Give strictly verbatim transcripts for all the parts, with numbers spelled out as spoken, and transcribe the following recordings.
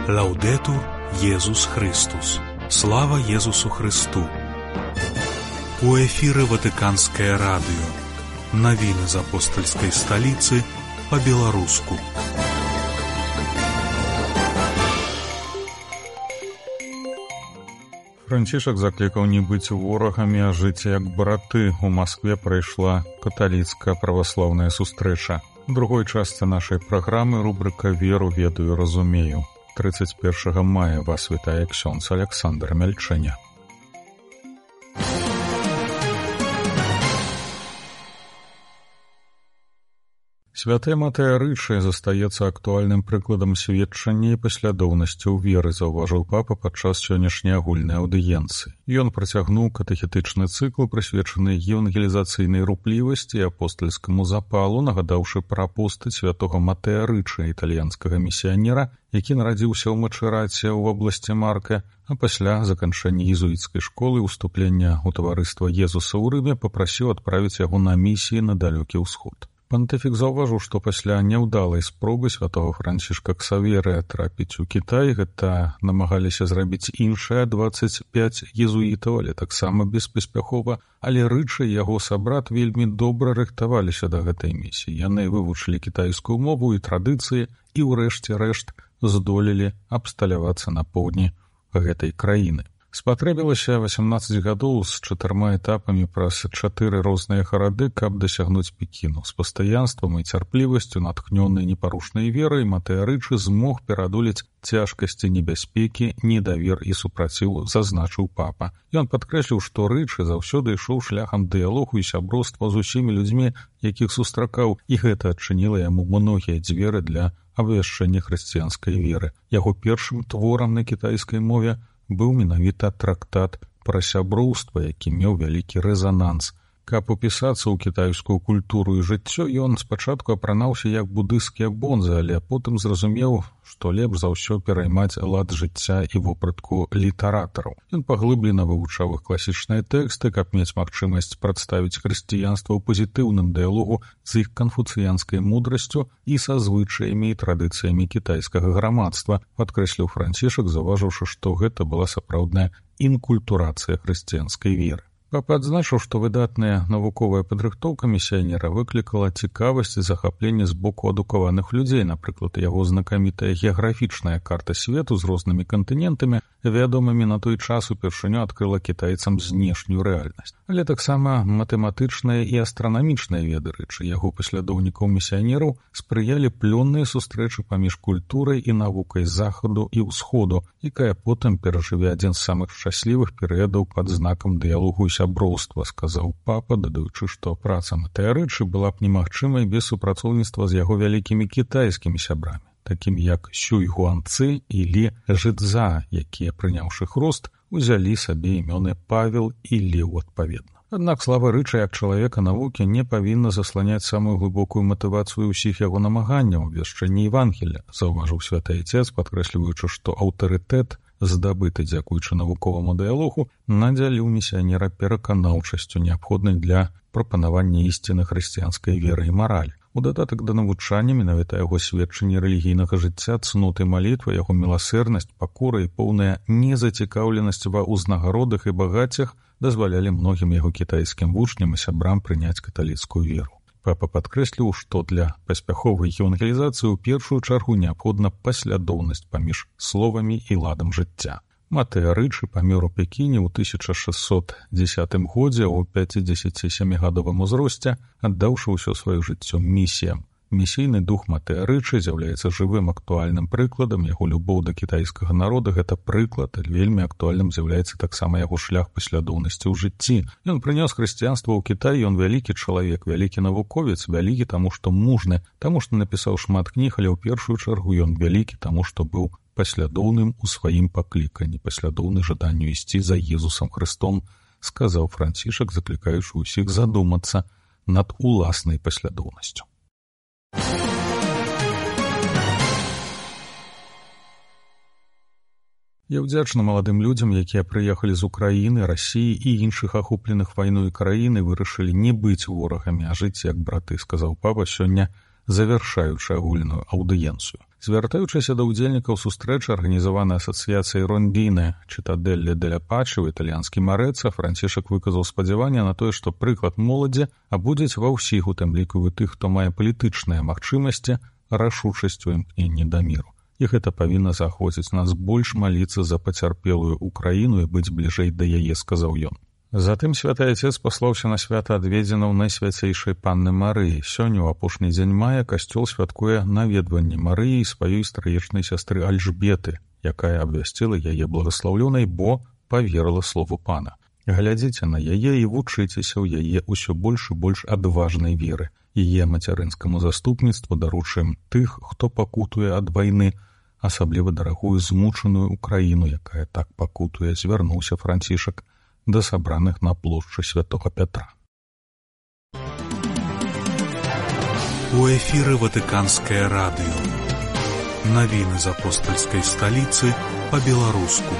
Лаўдэтур Езус Христус. Слава Езусу Христу. У эфіры Ватыканскае радыё. Навіны з апостальскай сталіцы па-беларуску. Францішак заклікаў не быць ворагамі, а жыць як браты. У Маскве прайшла каталіцкая праваслаўная сустрэча. У другой частцы нашай праграмы рубрыка «Веру, ведаю, разумею». тридцать первого мая вас вітае ксёндз Александр Мяльчэня. Святая Матея Рыччы застаецца актуальным прыкладам сведчання і паслядоўнасці ў веры, заўважыў папа падчас сённяшняй агульнай аўдыенцыі. Ён працягнуў катэхетычны цыкл, прысвечаны евангелізацыйнай руплівасці і апостальскаму запалу, нагадаўшы пра постаць святога Матея Рыччы, італьянскага місіянера, які нарадзіўся ў Мачэраце ў вобласці Марка, а пасля заканчэння езуіцкай школы і ўступлення ў таварыства Езуса ў Рыме папрасіў адправіць яго на місіі на далёкі ўсход. Пантыфік заўважыў, што пасля няўдалай спробы святого Францішка Ксаверыя трапіць у Кітай, гэта намагаліся зрабіць іншыя дваццаць пяць езуітаў, але таксама беспаспяхова, але Рыччы і яго сабрат вельмі добра рыхтаваліся да гэтай місіі. Яны вывучылі кітайскую мову і традыцыі і ўрэшце рэшт здолелі абсталявацца на поўдні гэтай краіны. Спатрэбілася васямнаццаць гадоў з чатырма этапамі праз чатыры розныя гарады, каб дасягнуць Пекіну. З пастаянствам і цярплівасцю, натхнёнай непарушнай верай, Матея Рыччы змог пераадолець цяжкасці, небяспекі, недавер і супраціў, зазначыў папа. Ён падкрэсліў, што Рыччы заўсёды ішоў шляхам дыялогу і сяброўства з усімі людзьмі, якіх сустракаў, і гэта адчыніла яму многія дзверы для абвяшчэння хрысціянскай веры. Яго першым творам на кітайскай мове быў менавіта трактат пра сяброўства, які меў вялікі рэзананс. Каб упісацца ў кітайскую культуру і жыццё, ён спачатку апранаўся як будысцкія бонзы, але потым зразумеў, што лепш за ўсё пераймаць лад жыцця і вопратку літаратараў. Ён паглыблена вывучаў іх класічныя тэксты, каб мець магчымасць прадставіць хрысціянства ў пазітыўным дыялогу з іх канфуцыянскай мудрасцю і са звычаямі і традыцыямі кітайскага грамадства, падкрэсліў Францішак, заўважыўшы, што гэта была сапраўдная інкультурацыя хрысціянскай веры. Папа адзначыў, што выдатная навуковая падрыхтоўка місіянера выклікала цікавасць і захапленне з боку адукаваных людзей. Напрыклад, яго знакамітая геаграфічная карта свету з рознымі кантынентамі, вядомымі на той час, упершыню адкрыла кітайцам знешнюю рэальнасць. Але таксама матэматычныя і астранамічныя веды Рыччы, яго паслядоўнікаў місіянераў, спрыялі плённыя сустрэчы паміж культурай і навукай захаду і ўсходу, якая потым перажыве адзін з самых шчаслівых перыядаў пад знакам дыялогу і сяброўства, сказаў папа, дадаючы, што праца Матея Рыччы была б немагчымай без супрацоўніцтва з яго вялікімі кітайскімі сябрамі, такімі як Сюй Гуанцзы і Лі Жыцза, якія, прыняўшы хрост, узялі сабе імёны Павел і Леў адпаведна. Аднак слава Рыччы як чалавека навукі не павінна засланяць самую глыбокую матывацыю ўсіх яго намаганняў абвяшчэння Евангелля, заўважыў святы Айцец, падкрэсліваючы, што аўтарытэт, здабыты дзякуючы навуковаму дыялогу, надзяліў місіянера пераканаўчасцю, неабходнай для прапанавання ісціны хрысціянскай веры і маралі. У дадатак да навучання менавіта яго сведчанні рэлігійнага жыцця, цноты малітвы, яго міласэрнасць, пакора і поўная незацікаўленасць ва ўзнагародах і багаццях дазвалялі многім яго кітайскім вучням і сябрам прыняць каталіцкую веру. Папа падкрэсліў, што для паспяховай евангелізацыі ў першую чаргу неабходна паслядоўнасць паміж словамі і ладам жыцця. Матея Рыччы памёр у Пекіне ў тысяча шэсцьсот дзесятым годзе ў пяцідзесяцісямігадовым узросце, аддаўшы ўсё сваё жыццё місіям. Місійны дух Матея Рыччы з'яўляецца жывым актуальным прыкладам, яго любоў да кітайскага народа — гэта прыклад, вельмі актуальным з'яўляецца таксама яго шлях паслядоўнасці ў жыцці. Ён прынёс хрысціянства ў Кітай, ён вялікі чалавек, вялікі навуковец, вялікі таму, што мужны, таму, што напісаў шмат кніг, але ў першую чаргу ён вялікі таму, што быў паслядоўным у сваім пакліканні, паслядоўны жаданню ісці за Езусам Хрыстом, сказаў Францішак, заклікаючы ўсіх задумацца над уласнай паслядоўнасцю. Я ўдзячны маладым людзям, якія прыехалі з Украіны, Расіі і іншых ахопленых вайной краін і вырашылі не быць ворагамі, а жыць як браты, сказаў папа сёння завяршаючы агульную аўдыенцыю. Звяртаючыся да ўдзельнікаў сустрэчы, арганізаванай асацыяцыяй Рондіне Чытадэлле деля Пачы ў італьянскім Арэца, Францішак выказаў спадзяванне на тое, што прыклад моладзі абудзіць ва ўсіх, у тым ліку і тых, хто мае палітычныя магчымасці, рашучасць у імкненні да міру. І гэта павінна заахвоціць нас больш маліцца за пацярпелую Украіну і быць бліжэй да яе, сказаў ён. Затым святы Отец паслаўся на свята адведзенаў Найсвяцейшай Панны Марыі. Сёння, у апошні дзень мая, касцёл святкуе наведванне Марыі і сваёй страечнай сястры Альжбеты, якая абвясціла яе благаслаўлёнай, бо паверыла слову Пана. Глядзіце на яе і вучыцеся ў яе ўсё больш і больш адважнай веры. Яе мацярынскаму заступніцтву даручым тых, хто пакутуе ад вайны, асабліва дарагую змучаную Украіну, якая так пакутуе, звярнуўся Францішак да сабраных на плошчы Святога Пятра. У эфіры Ватыканскае радыё. Навіны з апостальскай сталіцы па-беларуску.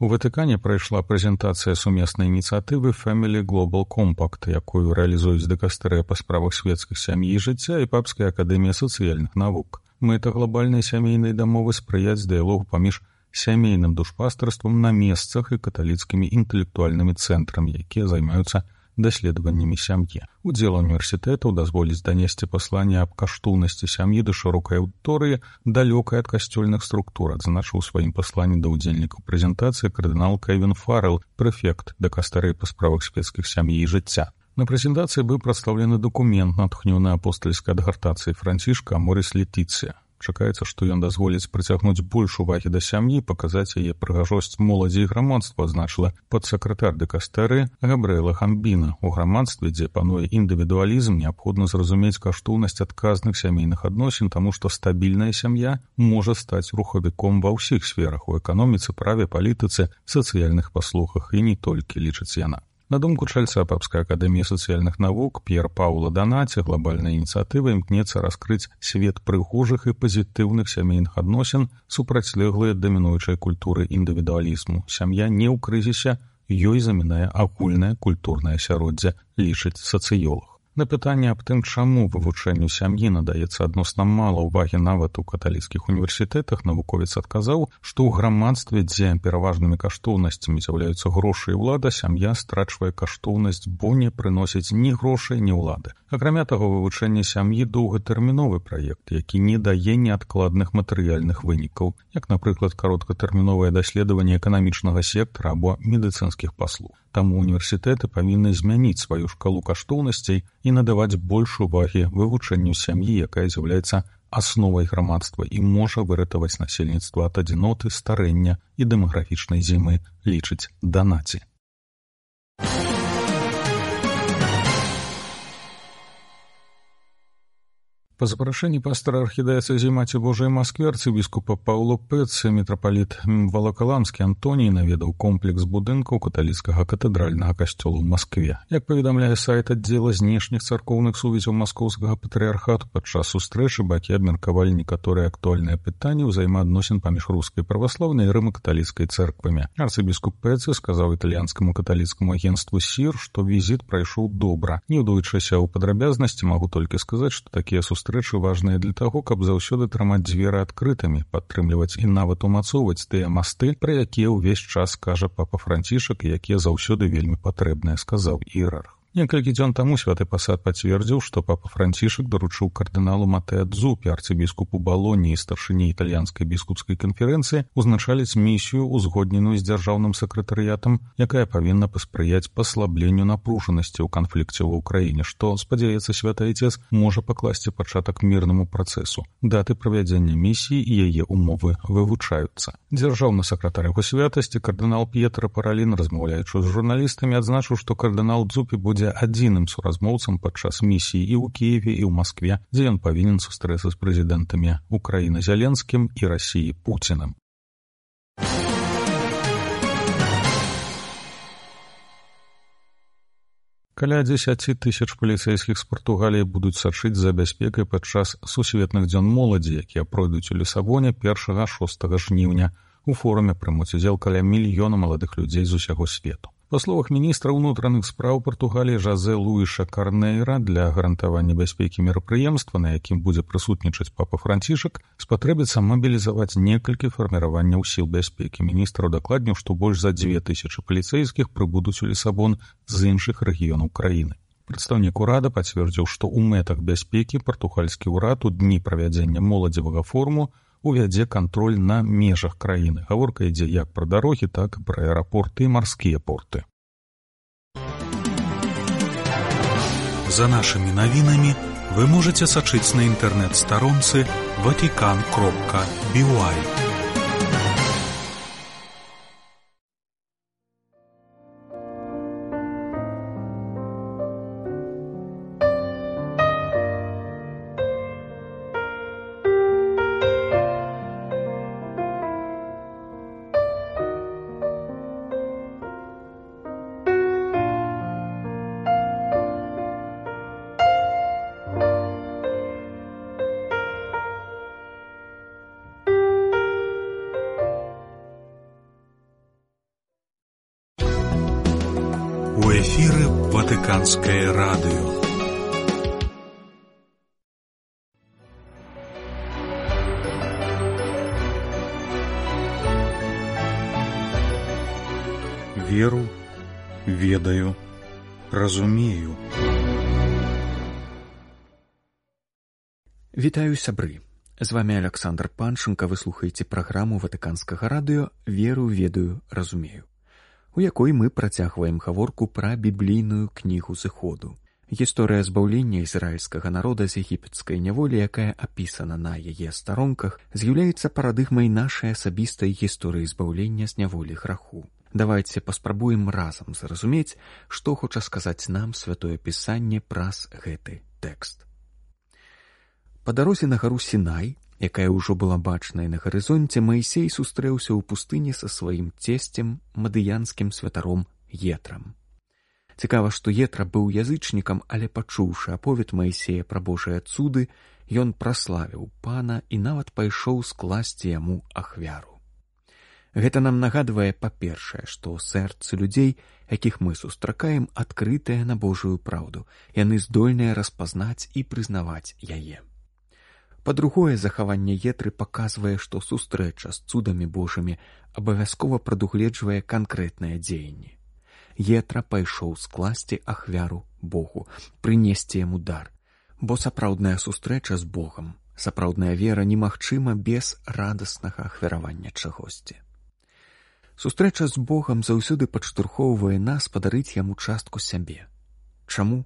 У Ватыкане прайшла прэзентацыя сумеснай ініцыятывы Family Global Compact, якую рэалізуюць дыкастэрыя па справах свецкіх сям'і і жыцця і Папская акадэмія сацыяльных навук. Мэта глобальнай сямейнай дамовы спрыяць дыялогу паміж сямейным душпастарствам на месцах і каталіцкімі інтэлектуальнымі цэнтрамі, якія займаюцца даследаваннямі сям'і. Удзел універсітэтаў дазволіць данесці пасланне аб каштоўнасці сям'і да шырокай аўдыторыі, далёкай ад касцёльных структур, адзначыў у сваім пасланні да ўдзельнікаў прэзентацыі кардынал Кевін Фаррелл, прэфект дыкастэрыі па справах свецкіх сям'і і жыцця. На прэзентацыі быў прадстаўлены дакумент, натхнёны апостальскай адгартацыяй Францішка Аморис Летіцыя. Чакаецца, што ён дазволіць прыцягнуць больш увагі да сям'і, паказаць яе прыгажосць моладзі і грамадства, адзначыла падсакратар дыкастэрыі Габрыэла Хамбіна. У грамадстве, дзе пануе індывідуалізм, неабходна зразумець каштоўнасць адказных сямейных адносін, таму што стабільная сям'я можа стаць рухавіком ва ўсіх сферах, у эканоміцы, праве, палітыцы, сацыяльных паслугах і не толькі, лічыць яна. На думку чальца Папскай акадэміі сацыяльных навук П'ер Паула Данаці, глобальная ініцыятыва імкнецца раскрыць свет прыгожых і пазітыўных сямейных адносін, супрацьлеглыя дамінуючай культуры індывідуалізму. Сям'я не ў крызісе, ёй замінае агульнае культурнае асяроддзе, лічыць сацыёлог. На пытанне аб тым, чаму вывучэнню сям'і надаецца адносна мала ўвагі нават у каталіцкіх універсітэтах, навуковец адказаў, што ў грамадстве, дзе пераважнымі каштоўнасцямі з'яўляюцца грошы і ўлада, сям'я страчвае каштоўнасць, бо не прыносіць ні грошай, ні ўлады. Акрамя таго, вывучэнне сям'і доўгатэрміновы праект, які не дае неадкладных матэрыяльных вынікаў, як, напрыклад, кароткатэрміновае даследаванне эканамічнага сектара або медыцынскіх паслуг. Таму універсітэты павінны змяніць сваю шкалу каштоўнасцей і надаваць больш увагі вывучэнню сям'і, якая з'яўляецца асновай грамадства і можа выратаваць насельніцтва ад адзіноты, старэння і дэмаграфічнай зімы, лічыць Данаці. Па запрашэнні пастора архідыяцэзі Маці Божай Масквы арцыбіскупа Паўло Пэцци мітрапаліт Валакаламскі Антоній наведаў комплекс будынкаў каталіцкага катэдральнага касцёла ў Маскве. Як паведамляе сайт аддзела знешніх царкоўных сувязяў маскоўскага патрыархату, падчас сустрэчы бакі абмеркавалі некаторыя актуальныя пытанні ўзаемаадносін паміж рускай праваслаўнай і рыма-каталіцкай цэрквамі. Арцыбіскуп Пэцци сказаў італьянскаму каталіцкаму агенцтву СІР, што візіт прайшоў добра. Не ўдоючыся ў падрабязнасці, магу толькі сказаць, што такія сустрэчы Рэчы важныя для таго, каб заўсёды трымаць дзверы адкрытымі, падтрымліваць і нават умацоўваць тыя масты, пра якія ўвесь час кажа папа Францішак і якія заўсёды вельмі патрэбныя, сказаў іерарх. Некалькі дзён таму святы пасад пацвердзіў, што папа Францішак даручыў кардыналу Матэа Дзупі, арцыбіскупу Балоні і старшыні італьянскай біскупскай канферэнцыі, узначаліць місію, узгодненую з дзяржаўным сакратарыятам, якая павінна паспрыяць паслабленню напружанасці ў канфлікце ва ўкраіне, што, спадзяецца святы Айцец, можа пакласці пачатак мірнаму працэсу. Даты правядзення місіі і яе умовы вывучаюцца. Дзяржаўны сакратар яго святасці, кардынал П'етра Паралін, размаўляючы з журналістамі, адзначыў, што кардынал Дзупі будзе адзіным суразмоўцам падчас місіі і ў Кіеве, і ў Маскве, дзе ён павінен сустрэцца з прэзідэнтамі Украіны Зяленскім і Расіі Пуцінам. Каля дзесяці тысяч паліцэйскіх з Партугаліі будуць сачыць за бяспекай падчас сусветных дзён моладзі, якія пройдуць у Лісабоне першага-шостага жніўня. У форуме прымуць удзел каля мільёна маладых людзей з усяго свету. Па словах міністра ўнутраных спраў Партугаліі Жозе Луіша Карнейра, для гарантавання бяспекі мерапрыемства, на якім будзе прысутнічаць папа Францішак, спатрэбіцца мабілізаваць некалькі фарміраванняў сіл бяспекі. Міністр удакладніў, што больш за дзве тысячы паліцэйскіх прыбудуць у Лісабон з іншых рэгіёнаў краіны. Прадстаўнік урада пацвердзіў, што ў мэтах бяспекі партугальскі ўрад у дні правядзення моладзевага форуму увядзе кантроль на межах краіны. Гаворка ідзе як пра дарогі, так і пра аэрапорты і марскія порты. За нашими навінамі вы можете сачыць на інтэрнэт-старонцы ватикан кропка би уай. У эфіры Ватыканскае радыё. Веру, ведаю, разумею. Вітаю, сябры. З вами Александр Панченко, вы слухаеце праграму Ватыканскага радыё «Веру, ведаю, разумею», у якой мы працягваем гаворку пра біблійную кнігу зыходу. Гісторыя збаўлення ізраільскага народа з егіпецкай няволі, якая апісана на яе старонках, з'яўляецца парадыгмай нашай асабістай гісторыі збаўлення з няволі граху. Давайце паспрабуем разам зразумець, што хоча сказаць нам святое пісанне праз гэты тэкст. Па дарозе на гару Сінай, якая ўжо была бачная на гарызонце, Маісей сустрэўся ў пустыні са сваім цесцем, мадыянскім святаром Етрам. Цікава, што Етра быў язычнікам, але пачуўшы аповед Маісея пра Божыя цуды, ён праславіў пана і нават пайшоў скласці яму ахвяру. Гэта нам нагадвае, па-першае, што сэрцы людзей, якіх мы сустракаем, адкрытыя на Божую праўду, яны здольныя распазнаць і прызнаваць яе. Па-другое, захаванне Етры паказвае, што сустрэча з цудамі Божымі абавязкова прадугледжвае канкрэтныя дзеянні. Етра пайшоў скласці ахвяру Богу, прынесці яму дар, бо сапраўдная сустрэча з Богам, сапраўдная вера немагчыма без радаснага ахвяравання чагосьці. Сустрэча з Богам заўсёды падштурхоўвае нас падарыць яму частку сябе. Чаму?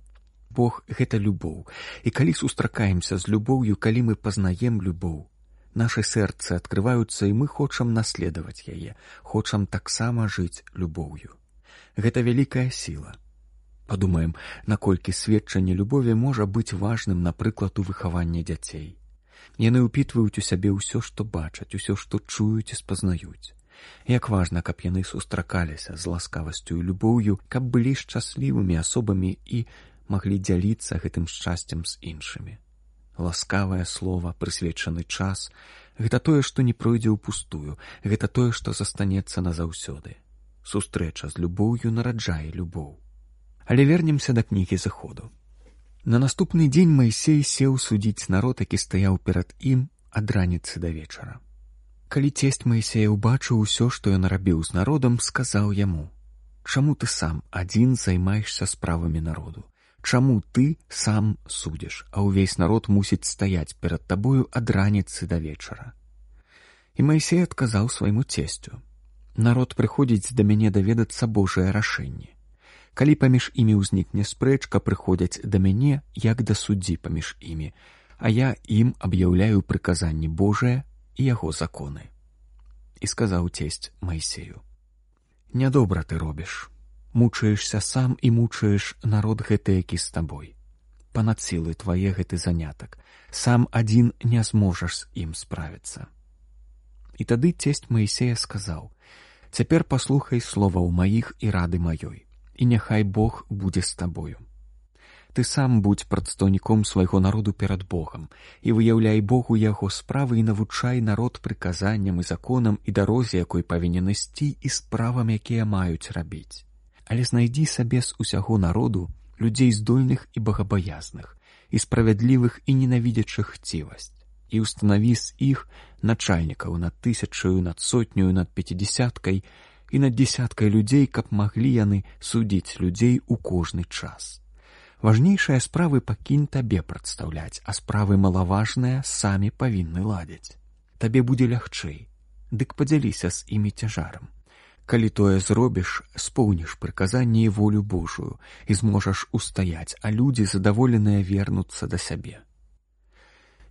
Бог — гэта любоў, і калі сустракаемся з любоўю, калі мы пазнаем любоў, нашы сэрцы адкрываюцца, і мы хочам наследаваць яе, хочам таксама жыць любоўю. Гэта вялікая сіла. Падумаем, наколькі сведчанне любові можа быць важным, напрыклад, у выхаванні дзяцей. Яны ўпітваюць у сябе ўсё, што бачаць, усё, што чуюць і спазнаюць. Як важна, каб яны сустракаліся з ласкавасцю і любоўю, каб былі шчаслівымі асобамі і маглі дзяліцца гэтым шчасцем з іншымі. Ласкавае слова, прысвечаны час — гэта тое, што не пройдзе ўпустую, гэта тое, што застанецца назаўсёды. Сустрэча з любоўю нараджае любоў. Але вернемся да кнігі зыходу. На наступны дзень Маісей сеў судзіць народ, які стаяў перад ім ад раніцы да вечара. Калі цесць Маісея ўбачыў усё, што ён рабіў з народам, сказаў яму: «Чаму ты сам адзін займаешся справамі народу? Чаму ты сам судзіш, а ўвесь народ мусіць стаяць перад табою ад раніцы да вечара?» І Маісей адказаў свайму цесцю: «Народ прыходзіць да мяне даведацца Божыя рашэнні. Калі паміж імі ўзнікне спрэчка, прыходзяць да мяне, як да суддзі паміж імі, а я ім аб'яўляю прыказанні Божыя і яго законы». І сказаў цесць Маісею: «Нядобра ты робіш. Мучаешся сам і мучаеш народ гэты, які з табой. Панад сілы твае гэты занятак. Сам адзін не зможаш з ім справіцца». І тады цесць Маісея сказаў: «Цяпер паслухай словаў маіх і рады маёй, і няхай Бог будзе з табою. Ты сам будзь прадстаўніком свайго народу перад Богам і выяўляй Богу яго справы і навучай народ прыказанням і законам і дарозе, якой павінен ісці, і справам, якія маюць рабіць. але знайдзі сабе з усяго народу людзей здольных і багабаязных, і справядлівых і ненавідзячых хцівасць, і устанаві з іх начальнікаў над тысячаю, над сотню, над пяцідзясяткай і над дзесяткай людзей, каб маглі яны судзіць людзей у кожны час. Важнейшыя справы пакінь табе прадстаўляць, а справы малаважныя самі павінны ладзіць. Табе будзе лягчэй, дык падзяліся з імі цяжарам. Калі тое зробіш, споўніш прыказанне і волю Божую і зможаш устаяць, а людзі задаволеныя вернуцца да сябе.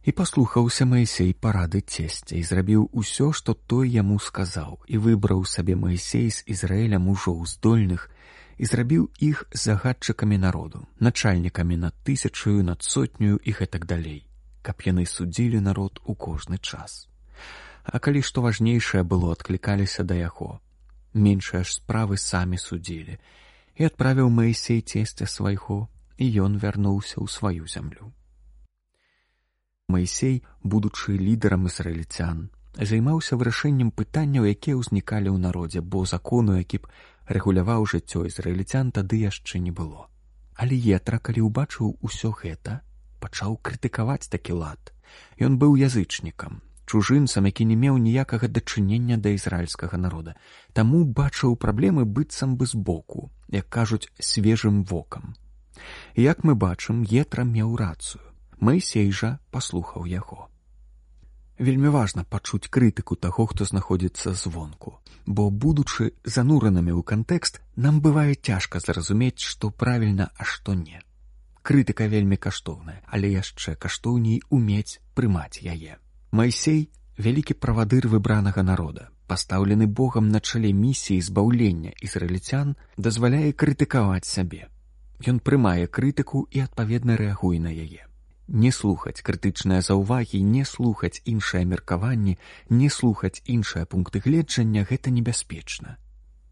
І паслухаўся Маісей парады цесця і зрабіў усё, што той яму сказаў, і выбраў сабе Маісей з Ізраіля мужоў здольных і зрабіў іх загадчыкамі народу, начальнікамі над тысячаю, над сотню і гэтак далей, каб яны судзілі народ у кожны час. А калі што важнейшае было, адклікаліся да яго. Меншыя ж справы самі судзілі. І адправіў Маісей цесця свайго, і ён вярнуўся ў сваю зямлю. Маісей, будучы лідарам ізраільцян, займаўся вырашэннем пытанняў, якія ўзнікалі ў народзе, бо закону, які б рэгуляваў жыццё ізраільцян, тады яшчэ не было. Але Єтра, калі ўбачыў усё гэта, пачаў крытыкаваць такі лад. Ён быў язычнікам, чужынцам, які не меў ніякага дачынення да ізраільскага народа, таму бачыў праблемы быццам бы збоку, як кажуць, свежым вокам. І як мы бачым, Єтра меў рацыю. Маісей жа паслухаў яго. Вельмі важна пачуць крытыку таго, хто знаходзіцца звонку, бо, будучы зануранымі ў кантэкст, нам бывае цяжка зразумець, што правільна, а што не. Крытыка вельмі каштоўная, але яшчэ каштоўней умець прымаць яе. Маісей – вялікі правадыр выбранага народа, пастаўлены Богам на чале місіі збаўлення ізраільцян, дазваляе крытыкаваць сябе. Ён прымае крытыку і адпаведна рэагуе на яе. Не слухаць крытычныя заўвагі, не слухаць іншыя меркаванні, не слухаць іншыя пункты гледжання – гэта небяспечна.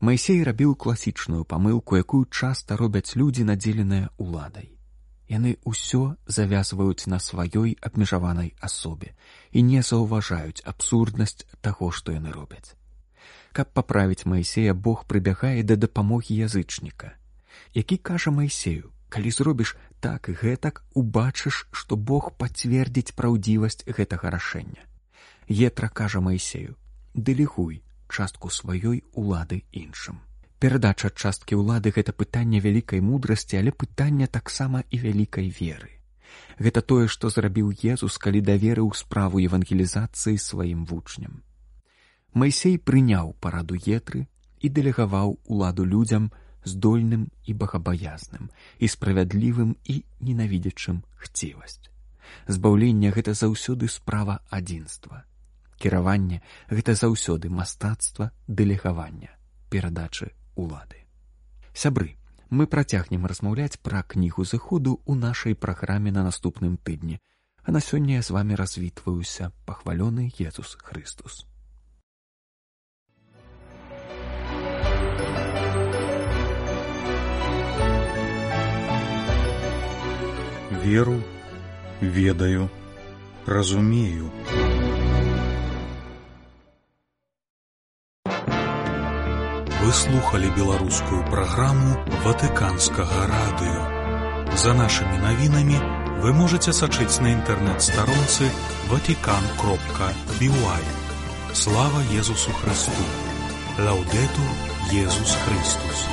Маісей рабіў класічную памылку, якую часта робяць людзі, надзеленыя уладай. Яны ўсё завязваюць на сваёй абмежаванай асобе і не заўважаюць абсурднасць таго, што яны робяць. Каб паправіць Маісея, Бог прыбягае да дапамогі язычніка, які кажа Маісею: калі зробіш так і гэтак, убачыш, што Бог пацвердзіць праўдзівасць гэтага рашэння. Єтра кажа Маісею: дэлегуй частку сваёй улады іншым. Перадача часткі ўлады – гэта пытанне вялікай мудрасці, але пытанне таксама і вялікай веры. Гэта тое, што зрабіў Езус, калі даверыў справу евангелізацыі сваім вучням. Маісей прыняў параду Етры і дэлегаваў уладу людзям здольным і багабаязным, і справядлівым і ненавідзячым хцівасць. Збаўленне – гэта заўсёды справа адзінства. Кіраванне – гэта заўсёды мастацтва дэлегавання, перадачы улады. Сябры, мы працягнем размаўляць пра кнігу зыходу ў нашай праграме на наступным тыдні, а на сёння я з вамі развітваюся. Пахвалёны Езус Хрыстус. Веру, ведаю, разумею. Вы слухали беларускую праграму Ватыканскага радыё. За нашымі навінамі вы можаце сачыць на інтэрнэт-старонцы ватикан кропка би уай. Слава Езусу Христу! Лаўдэтур Езус Христус!